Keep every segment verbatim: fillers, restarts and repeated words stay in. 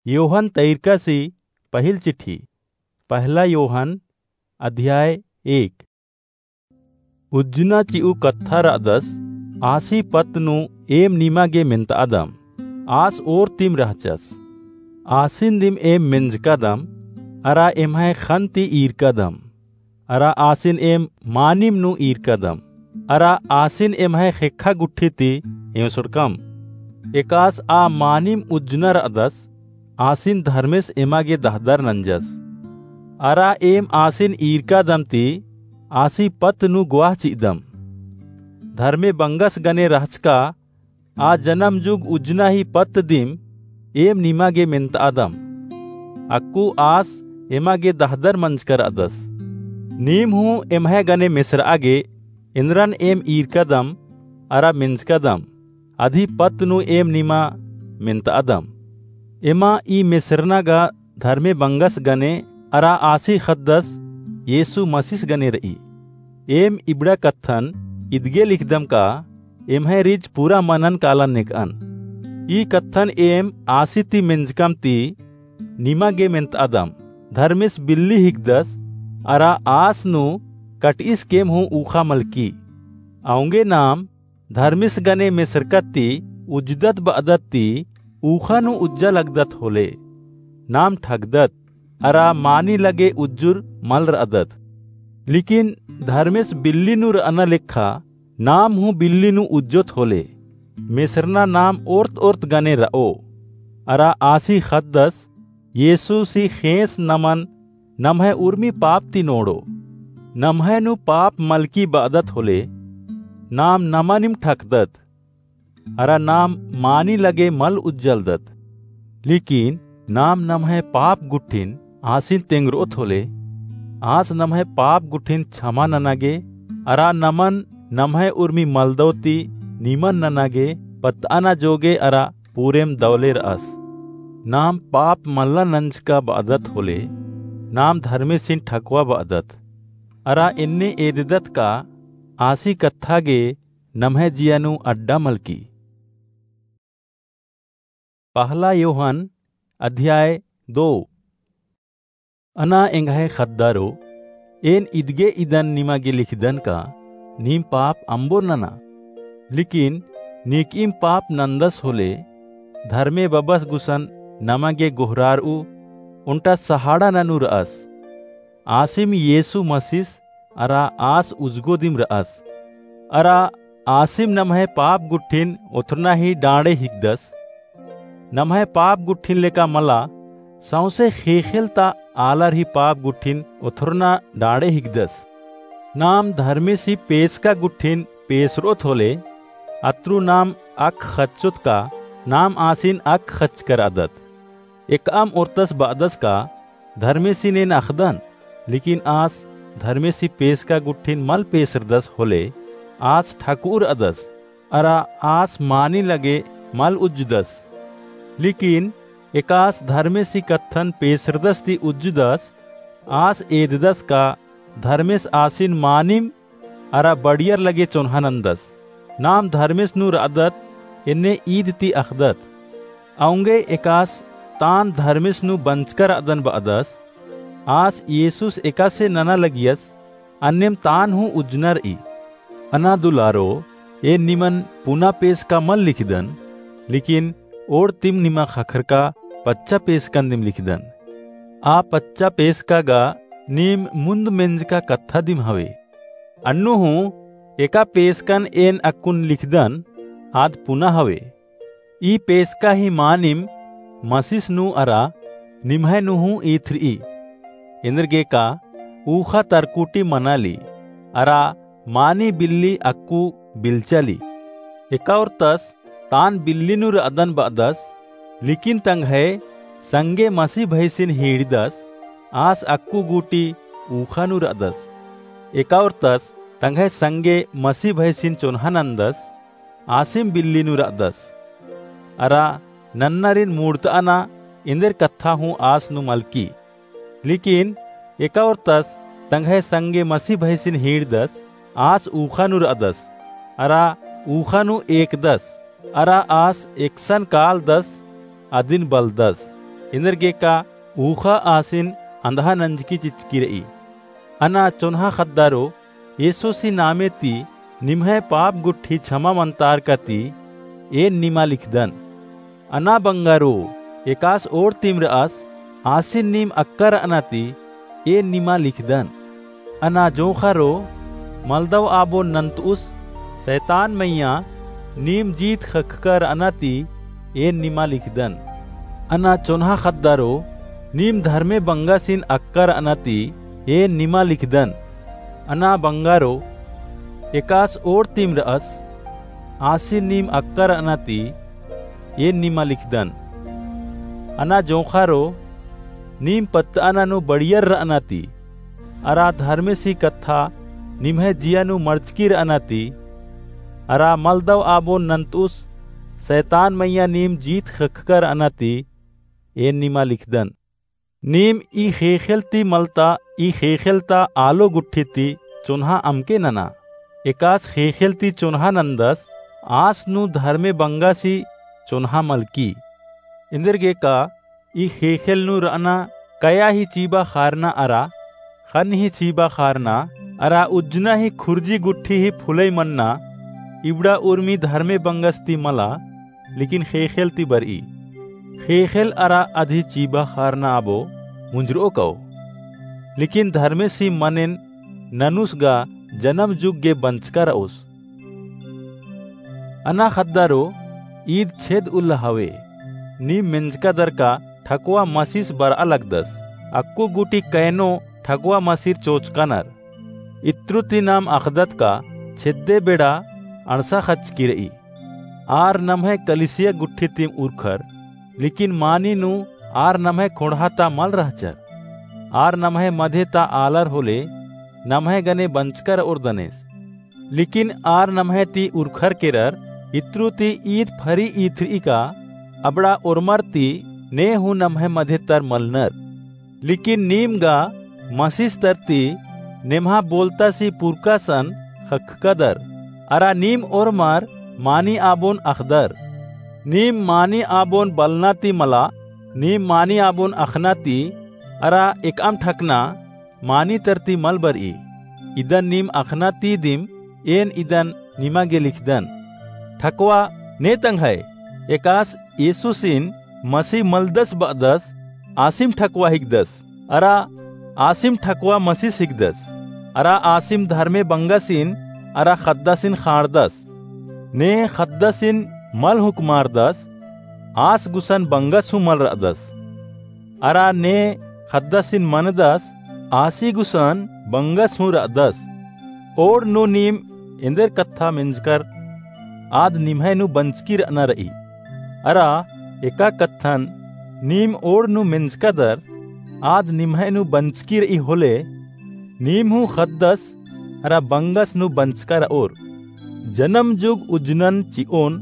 योहन तैरकासी पहिल चिट्ठी, पहला योहन, अध्याय एक। उज्जना चिऊ कत्था रअदस, आसी पत्त नू एम निमा गे मेन्तआदम, आस ओर तिम रहचस। आसिन दिम एम मेंजकादम, अरा एम्है ख़न्न ती ईरकादम। अरा आसिन एम मानिम नू ईरकादम, अरा आसिन एम्है ख़ेक्खा गुट्ठी ती एवंसड़कम। एकास आ मानिम उज्जना रअदस, आसिन धर्मेस एमा गे दहदर नंजस। अरा एम आसिन ईरकादम ती आसी पत्त नू ग्वाह चिअदम। धर्मे बंगस गने रहचका आ जनम जुग उज्जना ही पत्त दिम एम निमा गे मेन्तआदम। अक्कु आस एमा गे दहदर मंजका रअदस। नीम हूँ एम्है गने मेसरआ गे एन्दरन एम ईरकादम अरा मेंजकादम, अदी पत्त नू एम निमा मेन्तआदम। एमा ई मेसरना गा धर्मे बंगस गने अरा आसी ख़द्दस येसु मसीस गने रई। एम इबड़ा कत्थन इदगे लिखदम का एम्है रिच पूरा मनन कालन नेकअन। ई कत्थन एम आसी ती मेंजकम ती निमा गे मेन्तआदम, धर्मेस बिल्ली हिकदस अरा आस नू कटईस केम हूँ ऊख़ा मलकी। औंगे नाम धर्मेस गने मेसरकत ती उज्जदत बअदत ती ऊख़ा नू उज्जा लगदत होले। नाम ठगदत, अरा मानी लगे उज्जुर मल रअदत। लेकिन धर्मेस बिल्ली नू रअना लेखा नाम हूँ बिल्ली नू उज्जोत होले। मेसरना नाम ओर्त ओर्त गने रओ। अरा आसी ख़द्दस येसुसी ख़ेंस नमन नम्है उर्मी पाप ती नोड़ो। नम्है नू पाप मलकी बअदत होले, नाम नमनिम ठकदत। अरा नाम मानी लगे मल उज्जलदत। लेकिन नाम नम्है पाप गुट्ठिन आसिन तेंगरोत होले, आस नम्है पाप गुट्ठिन छमा नना गे, अरा नमन नम्है उर्मी मलदौ ती निमन नना गे पत्तअना जोगे अरा पूरेम दौले रअस। नाम पाप मल्ला नंजका बअदत होले, नाम धर्मेसिन ठकवा बअदत। अरा एन्ने एददत का आसी कत्था गे नम्है जिया नू अड्डा मलकी। पहला योहन अध्याय दो। अना एंग्है ख़द्दारो, एन इदगे इदन निमा गे लिखदन का नीम पाप अम्बोर नना। लेकिन नीकईम पाप नन्दस होले, धर्मे बबस गुसन नमा गे गोहरारऊ, ओन्टा सहाड़ा ननू रअस। आसिम येसु मसीस अरा आस उजगो दिम रअस। अरा आसिम नम्है पाप गुट्ठिन ओथरना ही डाँड़े हिकदस। नम्है पाप गुट्ठिन लेका मला, सौंसे ख़ेख़ेल ता आलर ही पाप गुट्ठिन ओथरना डाँड़े हिकदस। नाम धर्मेसी पेसका गुट्ठिन पेसरोत होले, अत्रु नाम अक ख़च्चोत का नाम आसिन अक ख़च्चका रअदत। एकअम ओर्तस बअदस का धर्मेसिन एन अख़दन, लेकिन आस धर्मेसी पेसका गुट्ठिन मल पेसरदस होले, आस ठकऊ रअदस, अरा आस मानी लगे मल उज्जदस। लेकिन एकास धर्मेसी कत्थन पेसरदस ती उज्जदस, आस एददस का धर्मेस आसिन मानिम अरा बढ़ियर लगे चोन्हा नन्दस। नाम धर्मेस नू रअदत, एन्ने ईद ती अख़दत। औंगे एकास तान धर्मेस नू बंचका रअदन बअदस, आस येसुस एकासे नना लगियस, अन्नेम तान हूँ उज्जना रई। अना दुलारो, एन निमन पुना पेसका मल लिखदन, लेकिन ओड़ तिम निमा ख़क्खरका पच्चा पेसकन दिम लिखदन। आ पच्चा पेसका गा नीम मुन्द मेंजका कत्था दिम हवे। अन्नु हूँ एका पेसकन एन अक्कुन लिखदन, आद पुना हवे। ई पेसका ही मानिम मसीस नू अरा निम्है नू हूँ ईथरई। एन्देरगे का ऊख़ा तरकुटी मनाली, अरा मानी बिल्ली अक्कु बिल्चाली। एका ओर्तस तान बिल्ली नू रअदन बअदस, लेकिन तंग्है संगे मसीह भैसिन हीड़दस, आस अक्कु गूटी ऊख़ा नू रअदस। एका ओर्तस तंग्है संगे मसीह भैसिन चोन्हा नन्दस, आसिम बिल्ली नू रअदस। अरा नन्नरिन मुड़तअना एन्देर कत्था हूँ आस नू मलकी। लेकिन एका ओर्तस तंग्है संगे मसीह भैसिन हीड़दस, आस ऊख़ा नू रअदस, अरा ऊख़ा नू एकदस, अरा आस एकसन कालदस, अदिन बलदस। एन्देरगेका ऊख़ा आसिन अंधा नंजकी चिचकी र'ई। अना चोन्हा ख़द्दारो, येसुसी नामे ती निम्है पाप गुट्ठी छमा मन्तारका ती एन निमा लिखदन। अना बंगारो, एकास ओर तिम र'अस, आसिन नीम अक्का र'अना ती एन निमा लिखदन। अना जोंख़ारो, मलदव आबोन नन्त'उस, सैतान मइय्याँ नीम जीत ख़क्खका र'अना ती एन निमा लिखदन। अना चोन्हा ख़द्दारो, नीम धर्मे बंगासिन अक्का र'अना ती एन निमा लिखदन। अना बंगारो, एकास ओर तिम र'अस, आसिन नीम अक्का र'अना ती एन निमा लिखदन। अना जोंख़ारो, नीम पत्त'अना नू बड़ियर र'अना ती, अरा धर्मेसी कत्था निम्है जिया नू मड़चकी र'अना ती, अरा मलदव आबोन नन्त'उस, सैतान मइय्याँ नीम जीत ख़क्खका र'अना ती एन निमा लिखदन। नीम ई ख़ेख़ेल ती मलता, ई ख़ेख़ेल ता आलो गुट्ठी ती चोन्हा अमके नना। एकास ख़ेख़ेल ती चोन्हा नन्दस, आस नू धर्मे बंगासी चोन्हा मलकी। एन्देरगेका ई ख़ेख़ेल नू र'अना कया ही चीबा ख़ारना अरा ख़न्न ही चीबा ख़ारना अरा उज्जना ही खुर्जी गुट्ठी ही फुलई मन्ना। इबड़ा उर्मी धर्मे बंगस ती मला, लेकिन ख़ेख़ेल ती बर'ई। ख़ेख़ेल अरा अदही चीबा ख़ारना आबो मुंजर'ओ क'ओ। लेकिन धर्मेसी मनेन ननुस गा जनम जुग गे बंचका र'ओस। अना ख़द्दारो, ईद छेद उल्ला हवे। नीम मेंजका दर का ठकवा मसिस बर'आ लगदस। अक्कु गूटी कैनो ठकवा मसिर चोचका नर। इत्रु ती नाम अख़दत का छेद्दे बेड़ा अंड़सा ख़चकी र'ई। आर नम्है कलिसिया गुट्ठी तिम उरखर, लेकिन मानी नू आर नम्है ख़ोंड़हा ता मल रहचर। आर नम्है मधे ता आलर होले नम्है गने बंचका र'ओर दनेस। लेकिन आर नम्है ती उरखर केरर, इत्रु ती ईद फरी ईथर'ई का अबड़ा ओर्मर ती ने हूँ नम्है मधे तर मलनर। लेकिन नीम गा मसिस तर ती नेम्हा बोलतासी पुरकासन ख़क्खकदर, अरा नीम ओर्मर मानी आबोन अख़दर। नीम मानी आबोन बलना ती मला, नीम मानी आबोन अख़ना ती, अरा एकअम ठकना मानी तर ती मल बर'ई। इदन नीम अख़ना ती दिम एन इदन निमा गे लिखदन। ठकवा ने तंग्है, एकास येसुसिन मसीह मलदस ब'अदस, आसिम ठकवा हिकदस, अरा आसिम ठकवा मसिस हिकदस, अरा आसिम धर्मे बंगसिन अरा ख़द्दसिन ख़ांड़दस। ने ख़द्दसिन मल हुकमारदस, आस गुसन बंगस हूँ मल र'अदस। अरा ने ख़द्दसिन मनदस, आसी गुसन बंगस हूँ र'अदस। ओड़ नू नीम एन्देर कत्था मेंजकर, आद निम्है नू बंचकी र'अना र'ई। अरा एका कत्थन नीम ओड़ नू मेंजकादर, आद निम्है नू बंचकी र'ई होले, नीम हूँ ख़द्दस अरा बंगस नू बंचका र'ओर। जनम जुग उज्जनन चि'ओन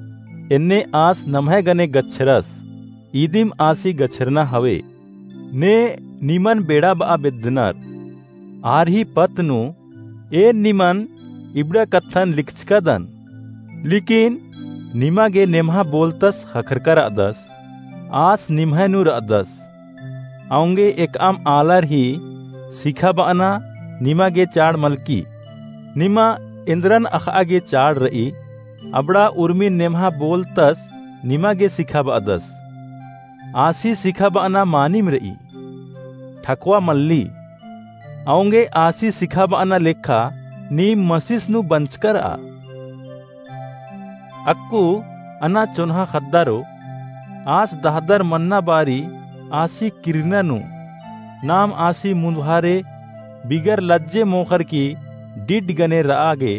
एन्ने आस नम्है गने गच्छरस, इदिम आसी गच्छरना हवे। ने निमन बेड़ा ब'आ बेद्दनर। आर ही पत्त नू एन निमन इबड़ा कत्थन लिखचकादन। लेकिन निमा गे नेम्हा बोलतस ख़क्खरका र'अदस, आस निम्है नू र'अदस। औंगे एकअम आलर ही सिखाब'अना निमा गे चाड़ मलकी। निमा एन्द्रन अख़'आ गे चाड़ र'ई, अबड़ा उर्मिन नेम्हा बोलतस निमा गे सिखाब'अदस। आसी सिखाब'अना मानिम र'ई, ठकवा मल्ली। औंगे आसी सिखाब'अना लेखा नीम मसिस नू बंचका र'आ। अक्कु अना चोन्हा ख़द्दारो, आस दहदर मन्ना बारी आसी किरना नू, नाम आसी मुन्दभारे बिगर लज्जे मोख़र की डिड गने र'आ गे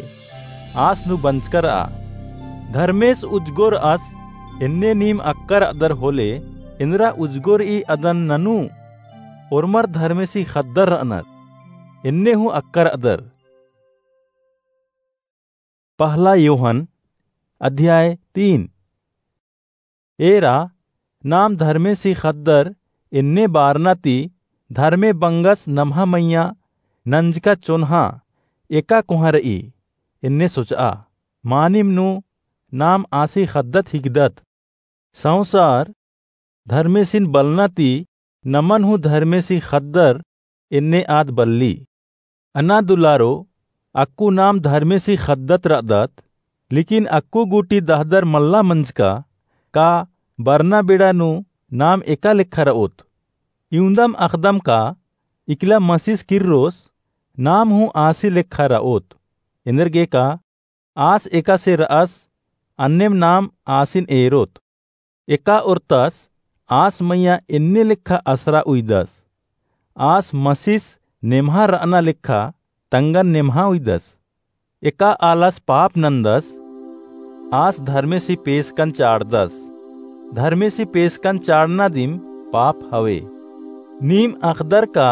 आस नू बंचका र'आ। धर्मेस उजगो र'अस एन्ने नीम अक्का र'अदर होले, एन्द्रा उजगो र'ई अदन ननू ओर्मर धर्मेसी ख़द्दर र'अनर, एन्ने हूँ अक्का र'अदर। पहला योहन अध्याय तीन। एरा नाम धर्मेसी ख़द्दर एन्ने बारना ती धर्मे बंगस नम्हा मइय्याँ नंजका चोन्हा एका कोहाँ र'ई एन्ने सोच'आ। मानिम नू नाम आसी ख़द्दत हिकदत। संसार धर्मेसिन बलना ती नमन हूँ धर्मेसी ख़द्दर एन्ने आद बल्ली। अना दुलारो, अक्कु नाम धर्मेसी ख़द्दत रअदत, लेकिन अक्कु गूटी दहदर मल्ला मंजका, का बरना बेड़ा नू नाम एका लेखा रओत? इवंदम अख़दम का इकला मसीस किर्रोस, नाम हूँ आसी लेखा रओत। एन्देरगे का आस एकासे रअस, अन्नेम नाम आसिन एरोत। एका ओर्तस आस मइय्याँ एन्ने लेखा असरा उइदस। आस मसीस नेम्हा रअना लेखा तंगन नेम्हा उइदस। एका आलस पाप नन्दस, आस धर्मेसी पेसकन चाड़दस। धर्मेसी पेसकन चाड़ना दिम पाप हवे। नीम अख़दर का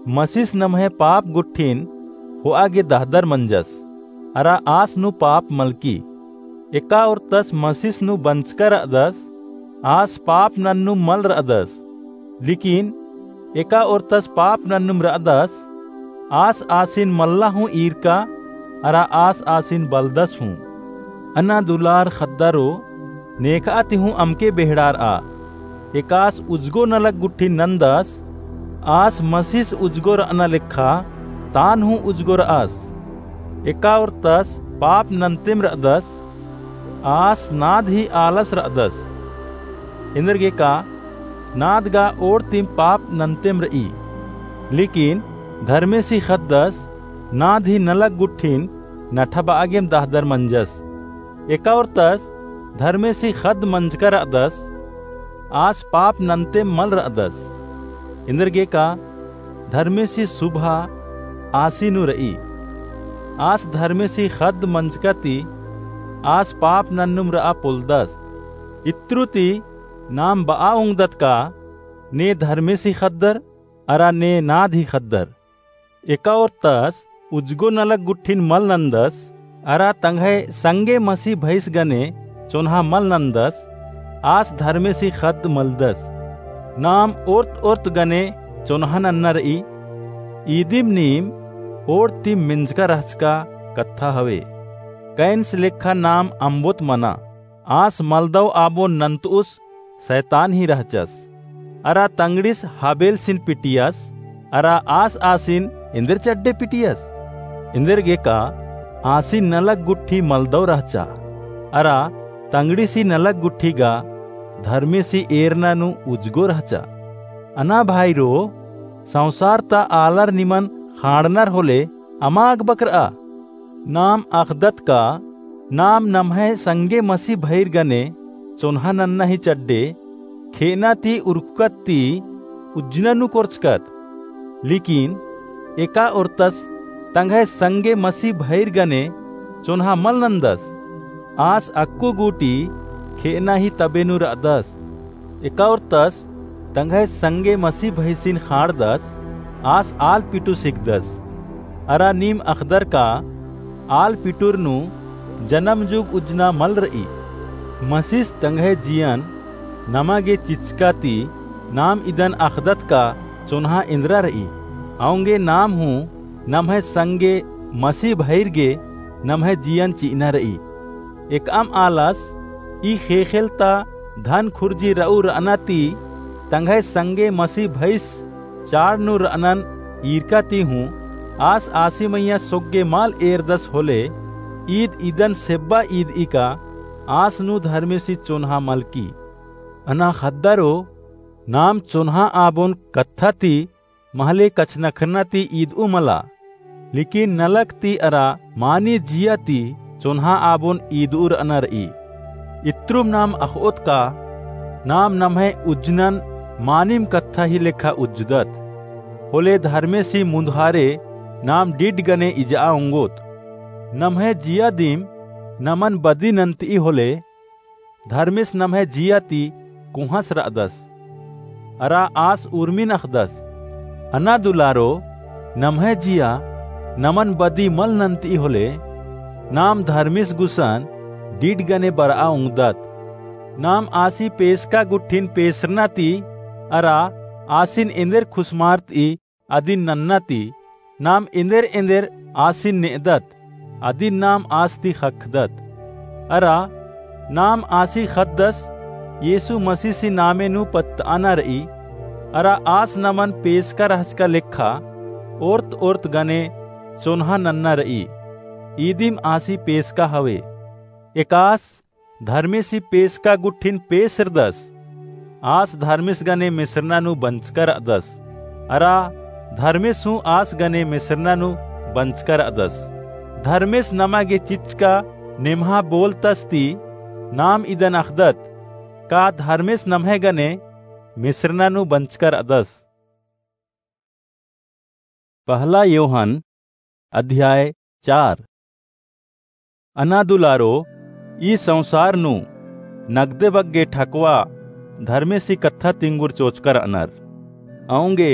मसीस नम्है पाप गुट्ठिन होआ गे दहदर मंजस, अरा आस नू पाप मलकी। एका ओर्तस मसीस नू बंचका रअदस, आस पाप नन्नुम मल रअदस। लेकिन एका ओर्तस पाप नन्नुम रअदस, आस आसिन मल्ला हूँ ईरका, अरा आस आसिन बलदस हूँ। अना दुलार ख़द्दरो, नेखा ती हूँ अमके बेहड़ारआ। एकास उजगो नलख गुट्ठिन नन्दस, आस मसीस उजगो रअना लेखा तान हूँ उजगो रअस। एका ओर्तस पाप नन्तेम रअदस, आस नाद ही आलस रअदस। एन्देरगे का नाद गा ओड़तिम पाप नन्तेम रई। लेकिन धर्मेसी ख़द्दस नाद ही नलख गुट्ठिन नठबआ गेम दहदर मंजस। एका ओर्तस धर्मेसी ख़द्द मंजका रअदस, आस पाप नन्तेम मल रअदस। एन्देरगे का धर्मेसी सुभा आसी नू रई। आस धर्मेसी ख़द्द मंजका ती आस पाप नन्नुम रआ पोलदस। इत्रु ती नाम बआ ओंगदत का ने धर्मेसी ख़द्दर अरा ने नाद ही ख़द्दर। एका ओर्तस उजगो नलख गुट्ठिन मल नन्दस, अरा तंग्है संगे मसी भइस गने चोन्हा मल नन्दस, आस धर्मेसी ख़द्द मलदस। नाम ओर्त ओर्त गने चोन्हा नन्ना रई। ईदिम नीम ओड़तिम मेंजका रहचका कत्था हवे। कैन्स लेखा नाम अम्बोत मना। आस मलदव आबोन नन्तउस सैतान ही रहचस। अरा तंगड़िस हाबेलसिन पिटियस, अरा आस आसिन एन्देर चड्डे पिटियस? एन्देरगे का आसिन नलख गुट्ठी मलदव रहचा, अरा तंगड़िसी नलख गुट्ठी गा धर्मेसी एरना नू उजगो रहचा। अना भाईरो, संसार ता आलर निमन ख़ाँड़नर होले अमा अगबकरआ। नाम अख़दत का नाम नम्है संगे मसी भइर गने चोन्हा नन्ना ही चड्डे, खेअना ती उरखकत ती उज्जना नू कोरचकत। लेकिन एका ओर्तस तंग्है संगे मसी भइर गने चोन्हा मल नन्दस। आस अक्कु गूटी खेअना ही तबे नू रअदस। एका ओर्तस तंग्है संगे मसी भइसिन ख़ाँड़दस, आस आल पिटुस हिकदस। अरा नीम अख़दर का आल पिटुर नू जनम जुग उज्जना मल रई। मसीस तंग्है जियन नमा गे चिचका ती नाम इदन अख़दत का चोन्हा एन्दरा रई। औंगे नाम हूँ नम्है संगे मसी भइर गे नम्है जियन चिअना रई। एकअम आलस ई ख़ेख़ेल ता धन खुर्जी रऊ रअना ती तंग्है संगे मसी भइस चाड़ नू रअनन ईरका ती हूँ आस आसी मइय्याँ सोग्गे मल एरदस होले, ईद इदन सेब्बा ईदई का आस नू धर्मेसी चोन्हा मलकी। अना ख़द्दारो, नाम चोन्हा आबोन कत्था ती महले कछनखरना ती ईदऊ मला, लेकिन नलख ती अरा मानी जिया ती चोन्हा आबोन ईदऊ रअना रई। इत्रुम नाम अख़ओत का नाम नम्है उज्जनन मानिम कत्था ही लेखा उज्जदत। होले धर्मेसी मुन्धारे नाम डिड गने इजआ ओंगोत। नम्है जिया दिम नमन बदी नन्तई होले धर्मेस नम्है जिया ती कोहाँस रअदस। अरा आस उर्मिन अख़दस। अना दुलारो, नम्है जिया नमन बदी मल नन्तई होले, नाम धर्मेस गुसन डिड गने बरआ ओंगदत। नाम आसी पेसका गुट्ठिन पेसरना ती अरा आसिन एन्देर खुसमारतई अदिन नन्ना ती, नाम एन्देर एन्देर आसिन नेअदत, अदिन नाम आस ती ख़क्खदत। अरा नाम आसी ख़द्दस, येसु मसीसी नामे नू पत्तआना र'ई, अरा आस नमन पेसका रहचका लेखा ओर्त ओर्त गने चोन्हा नन्ना र'ई। ईदिम आसी पेसका हवे। एकास धर्मेसी पेसका गुट्ठिन पेसरदस। आस धर्मेस गने मेसरना नू बंचका र'अदस। अरा धर्मेस हूँ आस गने मेसरना नू बंचका र'अदस। धर्मेस नमा गे चिच्चका नेम्हा बोलतस ती नाम इदन अख़दत, का धर्मेस नम्है गने मेसरना नू बंचका र'अदस। पहला योहन अध्याय चार। अना दुलारो, ई संसार नू नगदे बग्गे ठकवा धर्मेसी कत्था तिंगुर चोचका र'अनर। औंगे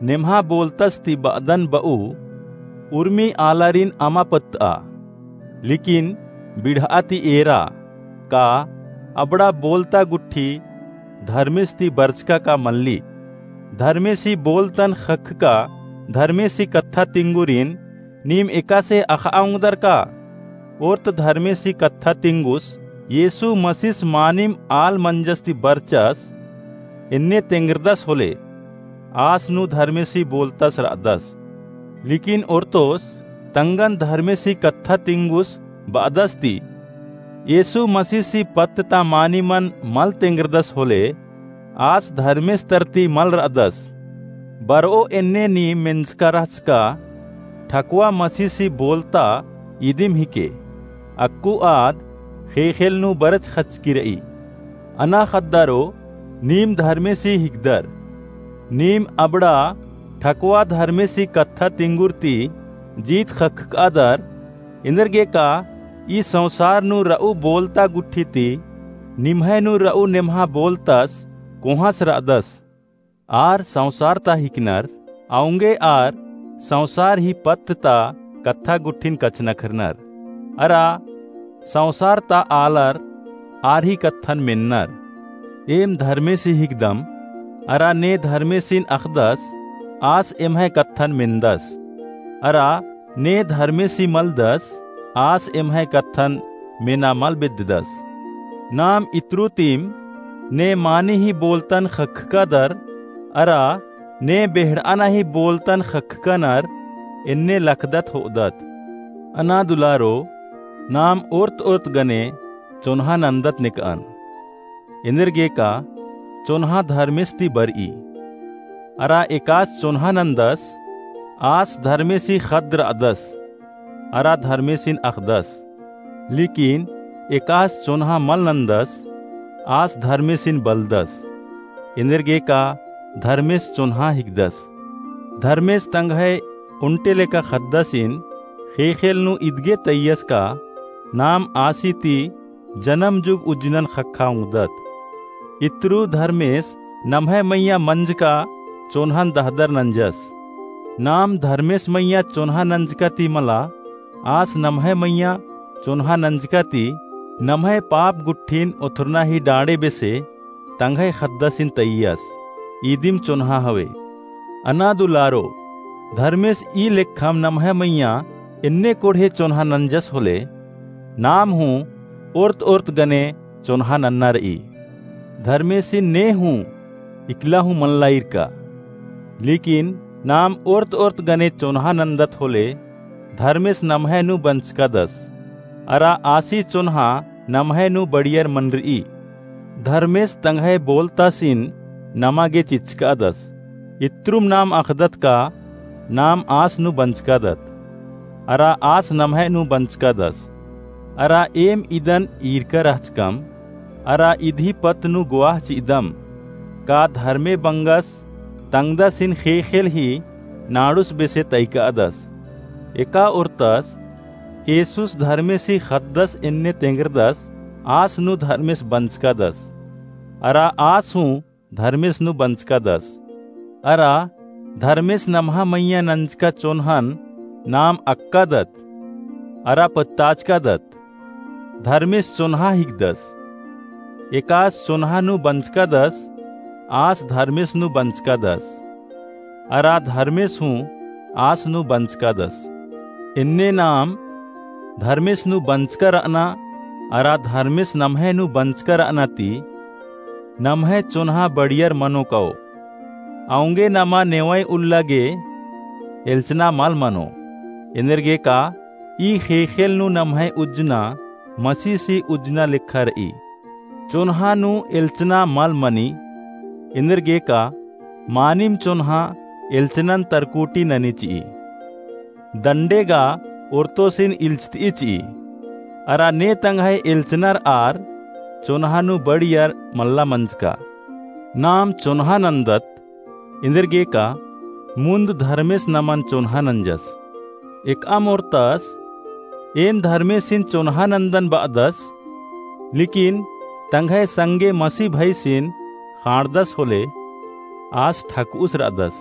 नेम्हा बोलतस ती ब'अदन ब'ऊ उर्मी आलारिन अमा पत्तआ। लेकिन बिड़'आ ती एरा का अबड़ा बोलता गुट्ठी धर्मेस ती बरचका का मल्ली। धर्मेसी बोलतन ख़क्खका धर्मेसी कत्था तिंगुरिन नीम एकासे अख़'आ ओंगदर का? ओर्त धर्मेसी कत्था तिंगुस येसु मसीस मानिम आल मंजस ती बरचस एन्ने तेंगरदस होले, आस नू धर्मेसी बोलतस र'अदस। लेकिन ओर्तोस तंगन धर्मेसी कत्था तिंगुस ब'अदस ती येसु मसीसी पत्त ता मानिमन मल तेंगरदस होले, आस धर्मेस तरती मल र'अदस। बर'ओ एन्ने नीम मेंजका रहचका ठकवा मसीसी बोलता ईदिम हिके। अक्कु आद ख़ेख़ेल नू बरच ख़चकी र'ई। अना ख़द्दारो, नीम धर्मेसी हिकदर। नीम अबड़ा ठकवा धर्मेसी कत्था तिंगुर ती जीत ख़क्खकादर। एन्देरगे का ई संसार नू र'ऊ बोलता गुट्ठी ती निम्है नू र'ऊ नेम्हा बोलतस कोहाँस र'अदस? आर संसार ता हिकनर, औंगे आर संसार ही पत्त ता कत्था गुट्ठिन कछनखरनर। अरा संसार ता आलर आर ही कत्थन मेन्नर। एम धर्मेसी हिकदम, अरा ने धर्मेसिन अख़दस, आस एम्है कत्थन मेन्दस। अरा ने धर्मेसी मलदस, आस एम्है कत्थन मेना मल बेद्ददस। नाम इत्रु तिम ने मानी ही बोलतन ख़क्खकादर, अरा ने बेहड़'अना ही बोलतन ख़क्खकनर एन्ने लखदत हो'अदत। अना दुलारो, नाम ओर्त ओर्त गने चोन्हा नन्दत नेक'अन। एन्देरगे का चोन्हा धर्मेस ती बर'ई। अरा एकास चोन्हा नन्दस, आस धर्मेसी ख़द्द र'अदस, अरा धर्मेसिन अख़दस। लेकिन एकास चोन्हा मल नन्दस, आस धर्मेसिन बलदस। एन्देरगे का धर्मेस चोन्हा हिकदस। धर्मेस तंग्है ओन्टे लेका ख़द्दसिन ख़ेख़ेल नू इदगे तइयस का नाम आसी ती जनम जुग उज्जनन ख़क्खा ओंगदत। इत्रु धर्मेस नम्है मइय्याँ मंजका चोन्हन दहदर नंजस। नाम धर्मेस मइय्याँ चोन्हा नंजका ती मला, आस नम्है मइय्याँ चोन्हा नंजका ती नम्है पाप गुट्ठिन ओथरना ही डाँड़े बेसे तंग्है ख़द्दसिन तइयस, इदिम चोन्हा हवे। अना दुलारो, धर्मेस ई लेखम नम्है मइय्याँ एन्ने कोड़हे चोन्हा नंजस होले, नाम हूँ ओर्त ओर्त गने चोन्हा नन्ना र'ई। धर्मेसिन ने हूँ इकला हूँ मल्ला ईरका। लेकिन नाम ओर्त ओर्त गने चोन्हा नन्दत होले, धर्मेस नम्है नू बंचकादस, अरा आसी चोन्हा नम्है नू बड़ियर मनर'ई। धर्मेस तंग्है बोलतासिन नमा गे चिचकादस। इत्रुम नाम अख़दत का नाम आस नू बंचकादत, अरा आस नम्है नू बंचकादस। अरा एम इदन ईरका रहचकम, अरा इदही पत्त नू गोआह चि'अदम, का धर्मे बंगस तंगदसिन ख़ेख़ेल ही नाड़ुस बेसे तइकादस। एका ओर्तस येसुस धर्मेसी ख़द्दस एन्ने तेंगरदस, आस नू धर्मेस बंचकादस, अरा आस हूँ धर्मेस नू बंचकादस। अरा धर्मेस नम्हा मइय्याँ नंजका चोन्हन नाम अक्कादत, अरा पत्ताचकादत। धर्मेस चोन्हा हिकदस। एकास चोन्हा नू बंचकादस, आस धर्मेस नू बंचकादस, अरा धर्मेस हूँ आस नू बंचकादस। एन्ने नाम धर्मेस नू बंचका र'अना, अरा धर्मेस नम्है नू बंचका र'अना ती नम्है चोन्हा बड़ियर मनो कओ। औंगे नमा नेवंय उल्ला गे एल्चना मल मनो। एन्देरगे का ई ख़ेख़ेल नू नम्है उज्जना मसीसी उज्जना लेखा रई। चोन्हा नू एल्चना मल मनी। एन्देरगे का मानिम चोन्हा एल्चनन तरकुटी ननी चिई। दंडे गा ओर्तोसिन इल्चतई चिई। अरा ने तंग्है एल्चनर आर चोन्हा नू बड़ियर मल्ला मंजका। नाम चोन्हा नन्दत, एन्देरगे का मुन्द धर्मेस नमन चोन्हा नंजस। एकअम ओर्तस, एन धर्मेसिन चोन्हा नन्दन बअदस, लेकिन तंग्है संगे मसी भइसिन ख़ाँड़दस होले, आस ठकउस रअदस।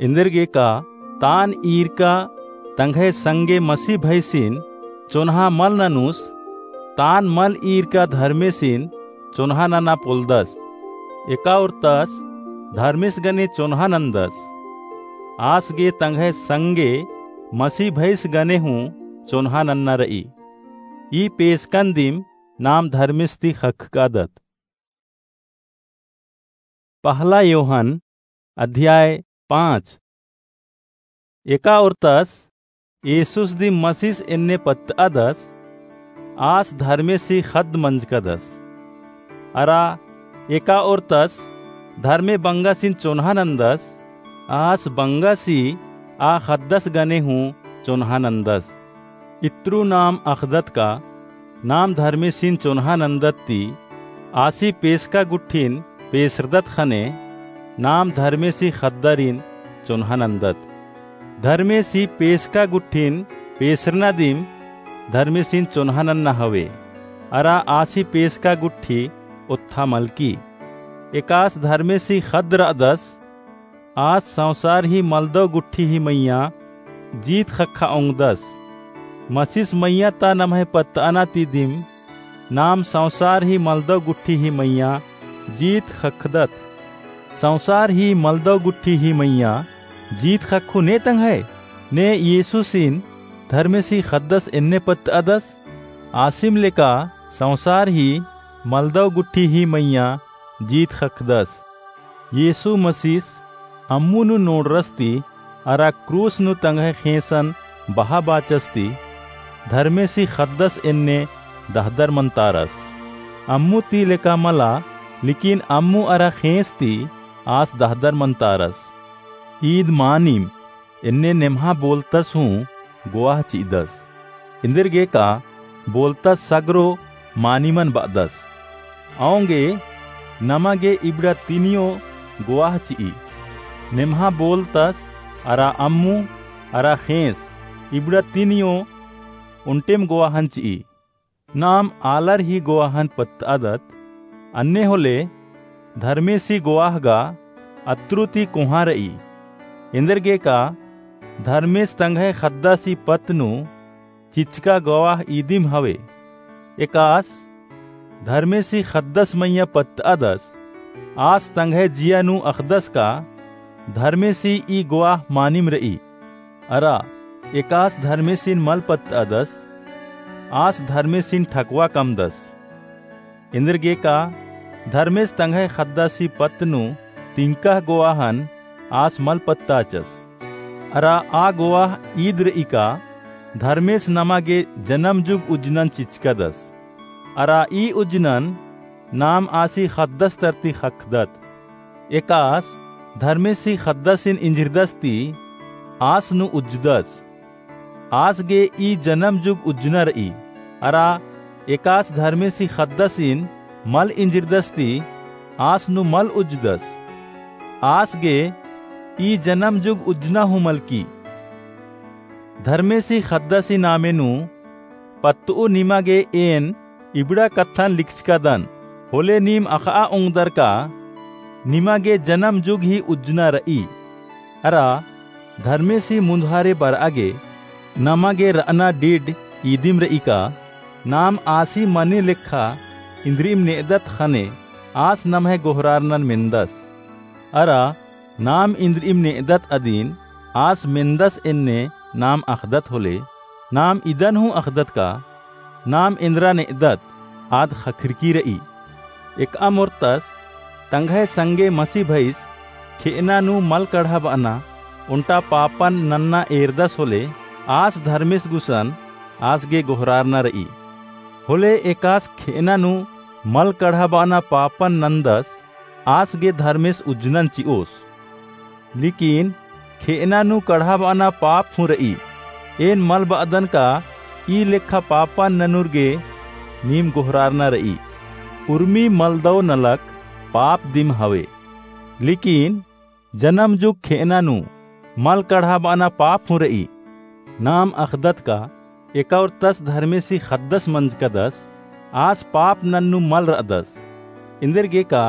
एन्देरगे का तान ईरका तंग्है संगे मसी भइसिन चोन्हा मल ननुस, तान मल ईरका धर्मेसिन चोन्हा नना पोल्लदस। एका ओर्तस धर्मेस गने चोन्हा नन्दस। आस गे तंग्है संगे मसी भइस गने हूँ चोन्हा नन्ना रई। ई पेसकन दिम नाम धर्मेस ती ख़क्खकादत। पहला योहन अध्याय पाँच। एका ओर्तस येसुस दिम मसीस एन्ने पत्तअदस, आस धर्मेसी ख़द्द मंजकदस। अरा एका ओर्तस धर्मे बंगसिन चोन्हा नन्दस, आस बंगसी आ ख़द्दस गने हूँ चोन्हा नन्दस। इत्रु नाम अख़दत का नाम धर्मेसिन चोन्हा नन्दत ती आसी पेसका गुट्ठिन पेसरदत ख़ने नाम धर्मेसी ख़द्दरिन चोन्हा नन्दत। धर्मेसी पेसका गुट्ठिन पेसरना दिम धर्मेसिन चोन्हा नन्ना हवे। अरा आसी पेसका गुट्ठी ओत्था मलकी। एकास धर्मेसी ख़द्द रअदस, आस संसार ही मलदव गुट्ठी ही मइय्याँ जीत ख़क्खा ओंगदस। मसीस मइय्याँ ता नम्है पत्तअना ती दिम नाम संसार ही मलदव गुट्ठी ही मइय्याँ जीत ख़क्खदत। संसार ही मलदव गुट्ठी ही मइय्याँ जीत ख़क्खु ने तंग्है, ने येसुसिन धर्मेसी ख़द्दस एन्ने पत्तअदस। आसिम लेका संसार ही मलदव गुट्ठी ही मइय्याँ जीत ख़क्खदस। येसु मसीस अम्मु नू नोड़रस ती अरा क्रूस नू तंग्है ख़ेंसन बहा बाचस ती धर्मेसी ख़द्दस एन्ने दहदर मन्तारस। अम्मु ती लेका मला, लेकिन अम्मु अरा ख़ेंस ती आस दहदर मन्तारस। ईद मानिम एन्ने नेम्हा बोलतस हूँ गोवाह चि'दस। एन्देरगे का बोलतस सगरो मानिमन ब'अदस। औंगे नमा गे इबड़ा तिनियो गोवाह चि'ई। नेम्हा बोलतस अरा अम्मु अरा ख़ेंस इबड़ा तिनियो ओन्टेम गोवाहन चि'ई। नाम आलर ही गोवाहन पत्त'अदत, अन्ने होले धर्मेसी गोवाह गा अत्रु ती कोहाँ र'ई। एन्देरगे का धर्मेस तंग्है ख़द्दासी पत्त नू चिच्चका गोवाह ईदिम हवे। एकास धर्मेसी ख़द्दस मइय्याँ पत्त'अदस, आस तंग्है जिया नू अख़दस का धर्मेसी ई गोवाह मानिम र'ई। अरा एकास धर्मेसिन मल पत्त'अदस, आस धर्मेसिन ठकवा कमदस। एन्देरगे का धर्मेस तंग्है ख़द्दासी पत्त नू तिंकह गोवाहन आस मल पत्ताचस। अरा आ गोवाह ईद र'ई का धर्मेस नमा गे जनम जुग उज्जनन चिच्चकदस। अरा ई उज्जनन नाम आसी ख़द्दस तरती ख़क्खदत। एकास धर्मेसी ख़द्दासिन इंजरदस ती आस नू उज्जदस। आस गे ई जनम जुग उज्जना र'ई। अरा एकास धर्मेसी ख़द्दासिन मल इंजरदस ती आस नू मल उज्जदस। आस गे ई जनम जुग उज्जना हूँ मलकी। धर्मेसी ख़द्दासी नामे नू पत्त'ऊ निमा गे एन इबड़ा कत्थन लिखचकदन, होले नीम अख़'आ ओंगदर का निमा गे जनम जुग ही उज्जना र'ई। अरा धर्मेसी मुन्धारे बर'आ गे नमा गे र'अना डिड ईदिम र'ई का नाम आसी मने लेखा इन्द्रि'म ने'अदत ख़ने आस नम्है गोहरारनन मेन्दस। अरा नाम इन्द्रि'म ने'अदत अदिन आस मेन्दस एन्ने नाम अख़दत होले, नाम इदन हूँ अख़दत का नाम एन्द्रा ने'अदत आद ख़क्खरकी र'ई। एकअम ओर्तस तंग्है संगे मसी भइस खेअना नू मल कढ़ाबअना ओन्टा पापन नन्ना एरदस होले, आस धर्मेस गुसन आस गे गोहरारना र'ई। होले एकास खेअना नू मल कढ़ाबअना पापन नन्दस, आस गे धर्मेस उज्जनन चि'ओस। लेकिन खेअना नू कढ़ाबअना पाप हूँ र'ई। एन मल ब'अदन का ई लेखा पापन ननुर गे नीम गोहरारना र'ई। उर्मी मलदव नलख पाप दिम हवे। लेकिन जनम जुग खेअना नू मल कढ़ाबअना पाप हूँ र'ई। नाम अख़दत का एका ओर तस धर्मेसी ख़द्दस मंजकदस, आस पाप नन्नू मल र'अदस। एन्देरगेका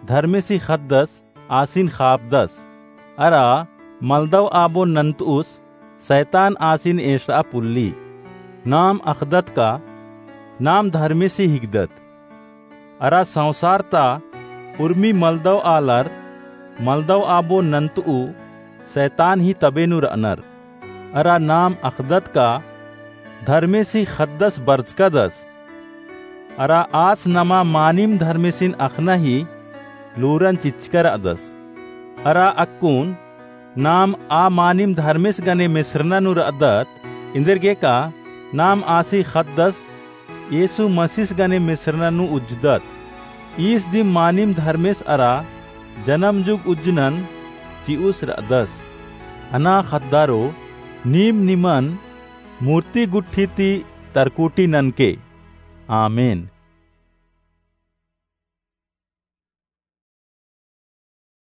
धर्मेसी ख़द्दस आसिन ख़ापदस। अरा मलदव आबो नन्त'उस सैतान आसिन एंस'आ पुल्ली। नाम अख़दत का नाम धर्मेसी हिकदत। अरा संसार ता उर्मी मलदव आलर मलदव आबो नन्त'उ सैतान ही तबे नू र'अनर। अरा नाम अख़दत का धर्मेसी ख़द्दस बरचकदस। अरा आस नमा मानिम धर्मेसिन अख़ना ही लूरन चिच्चका र'अदस। अरा अक्कुन नाम आ मानिम धर्मेस गने मेसरना नू र'अदत, एन्देरगेका नाम आसी ख़द्दस येसु मसीस गने मेसरना नू उज्जदत। ईस दिम मानिम धर्मेस अरा जनम जुग उज्जनन चि'उस र'अदस। अना ख़द्दारो, नीम निमन मूर्ति गुट्ठी ती तरकुटी ननके। आमेन।